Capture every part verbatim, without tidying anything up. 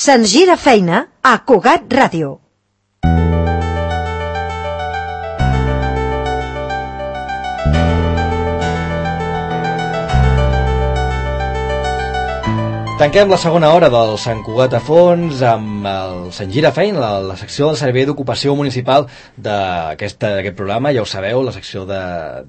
Se'ns gira feina a Cugat Ràdio. Tanquem la segona hora del Sant Cugat a fons amb el Sant Gira Feina, la, la secció del Servei d'Ocupació Municipal d'aquest programa. Ja ho sabeu, la secció de,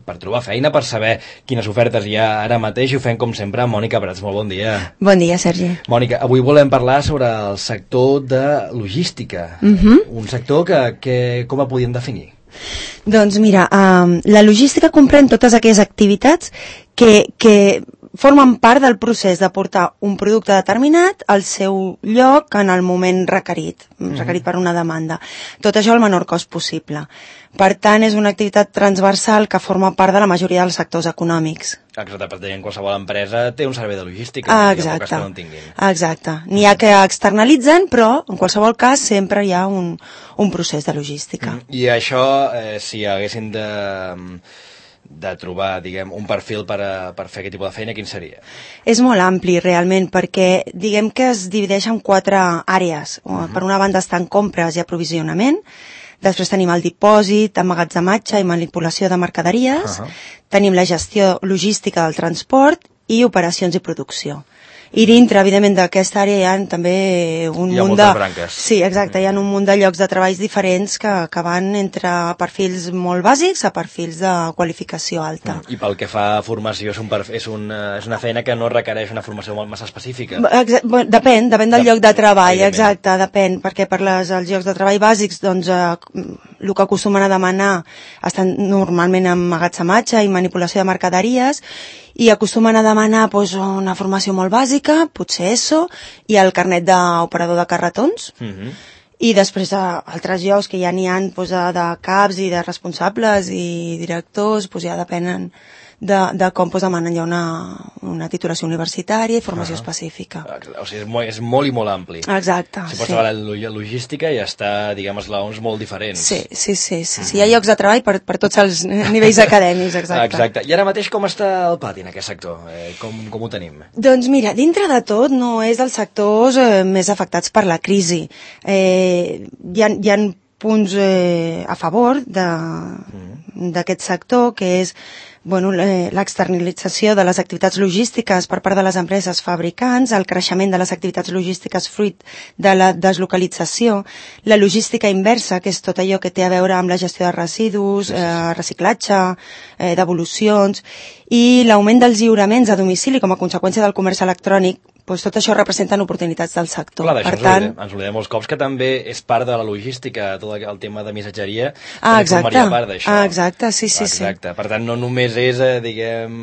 per trobar feina, per saber quines ofertes hi ha ara mateix, i ho fem com sempre amb Mònica Prats. Molt bon dia. Bon dia, Sergi. Mònica, avui volem parlar sobre el sector de logística, uh-huh. un sector que, que com el podíem definir? Doncs mira, um, la logística comprèn totes aquelles activitats que, que formen part del procés de portar un producte determinat al seu lloc en el moment requerit, mm-hmm. requerit per una demanda. Tot això al menor cost possible. Per tant, és una activitat transversal que forma part de la majoria dels sectors econòmics. Exacte, per tant, qualsevol empresa té un servei de logística. Ah, exacte. Que no en tinguin. Exacte. N'hi ha que externalitzen, però en qualsevol cas sempre hi ha un, un procés de logística. Mm-hmm. I això, eh, si haguessin de... de trobar, diguem, un perfil per, a, per fer aquest tipus de feina, quin seria? És molt ampli, realment, perquè diguem que es divideix en quatre àrees. Uh-huh. Per una banda estan compres i aprovisionament, després tenim el dipòsit, emmagatzematge i manipulació de mercaderies, uh-huh. tenim la gestió logística del transport i operacions i producció. I dintre, evidentment, d'aquesta àrea hi ha també un hi ha munt de... branques. Sí, exacte, hi ha un munt de llocs de treballs diferents que, que van entre perfils molt bàsics a perfils de qualificació alta. I pel que fa a formació, és, un perfil, és, una, és una feina que no requereix una formació molt massa específica? Exacte, bueno, depèn, depèn del de... lloc de treball, exacte, depèn, perquè per les, els llocs de treball bàsics, doncs, eh, el que acostumen a demanar estan normalment en emmagatzematge i manipulació de mercaderies, i acostumen a demanar doncs, una formació molt bàsica, potser ESO, i el carnet d'operador de carretons, uh-huh. i després a altres llocs que ja n'hi ha doncs, de caps i de responsables i directors, doncs ja depenen de, de com doncs, demanen ja una, una titulació universitària i formació uh-huh. específica. O sigui, és molt, és molt i molt ampli. Exacte, si pots sí. treballar la logística i està, diguem, esglaons molt diferents. Sí, sí, sí, sí, sí. Hi ha llocs de treball per, per tots els nivells acadèmics, exacte. Exacte. I ara mateix com està el pati en aquest sector? Eh, com, com ho tenim? Doncs mira, dintre de tot no és dels sectors eh, més afectats per la crisi. Eh, hi ha, hi ha punts eh, a favor de, mm. d'aquest sector, que és bueno, l'externalització de les activitats logístiques per part de les empreses fabricants, el creixement de les activitats logístiques fruit de la deslocalització, la logística inversa, que és tot allò que té a veure amb la gestió de residus, eh, reciclatge, eh, devolucions, i l'augment dels lliuraments a domicili com a conseqüència del comerç electrònic. Doncs tot això representen oportunitats del sector. Clar, d'això per ens, tant... oblidem, ens oblidem molts cops que també és part de la logística, tot el tema de missatgeria, ah, també formaria part d'això. Ah, exacte, sí, sí, exacte. sí. Per tant, no només és, eh, diguem,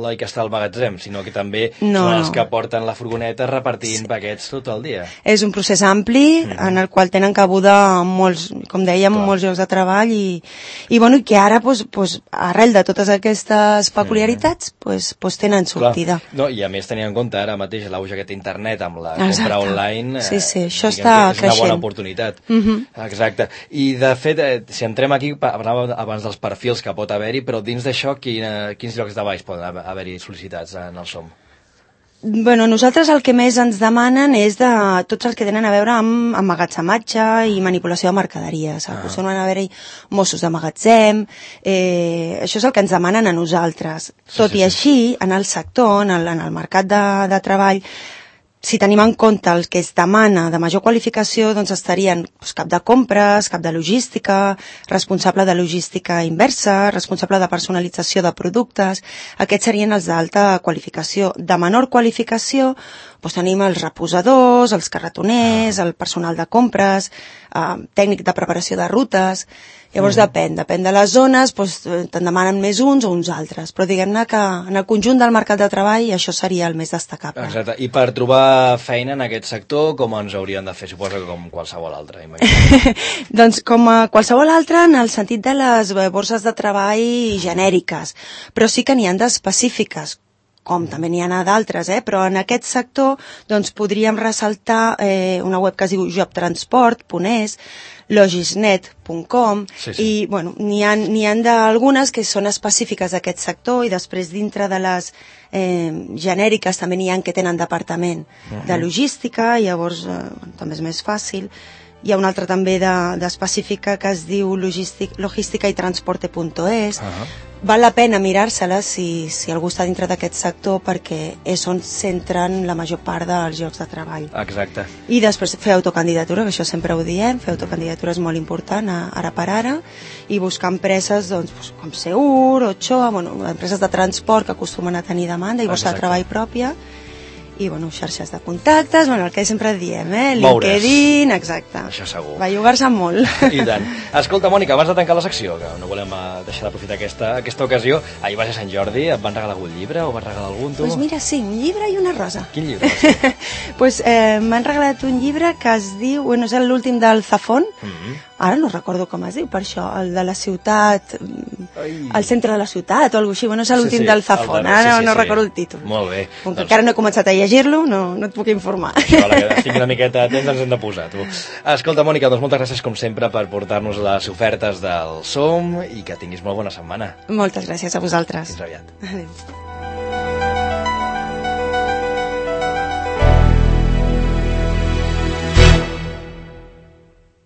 l'oi que està al magatzem, sinó que també no, són els no. que porten la furgoneta repartint sí. paquets tot el dia. És un procés ampli mm-hmm. en el qual tenen cabuda molts, com dèiem, Clar. molts llocs de treball i, i, bueno, i que ara, pues, pues, arrel de totes aquestes peculiaritats, mm-hmm. pues, pues tenen sortida. Clar. No, i a més tenint en compte ara mateix l'auge aquest internet amb la Exacte. compra online, sí, sí, això eh, està és creixent. una bona oportunitat. Mm-hmm. Exacte. I de fet, eh, si entrem aquí, parlàvem abans dels perfils que pot haver-hi, però dins d'això, quina, quins llocs de baix poden haver-hi sol·licitats en el SOM? Bueno, nosaltres el que més ens demanen és de tots els que tenen a veure amb emmagatzematge i manipulació de mercaderies. Ah. Acostumen a haver-hi Mossos de magatzem, eh, això és el que ens demanen a nosaltres. Sí, Tot sí, i així, sí. en el sector, en el, en el mercat de, de treball, si tenim en compte el que es demana de major qualificació, doncs estarien doncs, cap de compres, cap de logística, responsable de logística inversa, responsable de personalització de productes. Aquests serien els d'alta qualificació. De menor qualificació, doncs tenim els reposadors, els carretoners, el personal de compres, eh, tècnic de preparació de rutes. Llavors mm. depèn, depèn de les zones, doncs te'n demanen més uns o uns altres, però diguem-ne que en el conjunt del mercat de treball això seria el més destacable. Exacte, i per trobar feina en aquest sector, com ens haurien de fer? Suposo que com qualsevol altre. Doncs com a qualsevol altre en el sentit de les borses de treball genèriques, però sí que n'hi ha d'específiques, com també n'hi ha d'altres, eh? Però en aquest sector doncs, podríem ressaltar eh, una web que es diu jobtransport punt es, logisnet punt com, sí, sí. i bueno, n'hi ha, n'hi ha d'algunes que són específiques d'aquest sector i després dintre de les eh, genèriques també n'hi ha que tenen departament uh-huh. de logística, i llavors eh, també és més fàcil. Hi ha una altra també d'específica de, que es diu logística i transporte punt es. Uh-huh. Val la pena mirar-se-la si, si algú està dintre d'aquest sector, perquè és on centren la major part dels llocs de treball. Exacte. I després fer autocandidatura, que això sempre ho diem, fer autocandidatura és molt important ara per ara, i buscar empreses doncs, com Seur, Ochoa, bueno, empreses de transport que acostumen a tenir demanda i borsa de treball pròpia, i bueno, xarxes de contactes, bueno, el que sempre diem, eh? LinkedIn, exacte. Això segur. Va jugar-se molt. I tant. Escolta, Mònica, abans de tancar la secció, que no volem deixar d'aprofitar aquesta, aquesta ocasió, ahir va ser Sant Jordi, et van regalar algun llibre o vas regalar algun, tu? Doncs pues mira, sí, un llibre i una rosa. Quin llibre? Sí. pues eh, m'han regalat un llibre que es diu, bueno, és l'últim del Zafón, mm-hmm. ara no recordo com es diu, per això, el de la ciutat, Ai. el centre de la ciutat o alguna cosa així, bueno, és l'últim sí, sí, del Zafón, ara sí, sí, no sí. recordo el títol. Molt bé. Com que doncs... encara no he començat a llegir-lo, no, no et puc informar. Això, la que estic una miqueta atents ens hem de posar, tu. Escolta, Mònica, doncs moltes gràcies com sempre per portar-nos les ofertes del Som i que tinguis molt bona setmana. Moltes gràcies a vosaltres. Fins aviat. Adéu.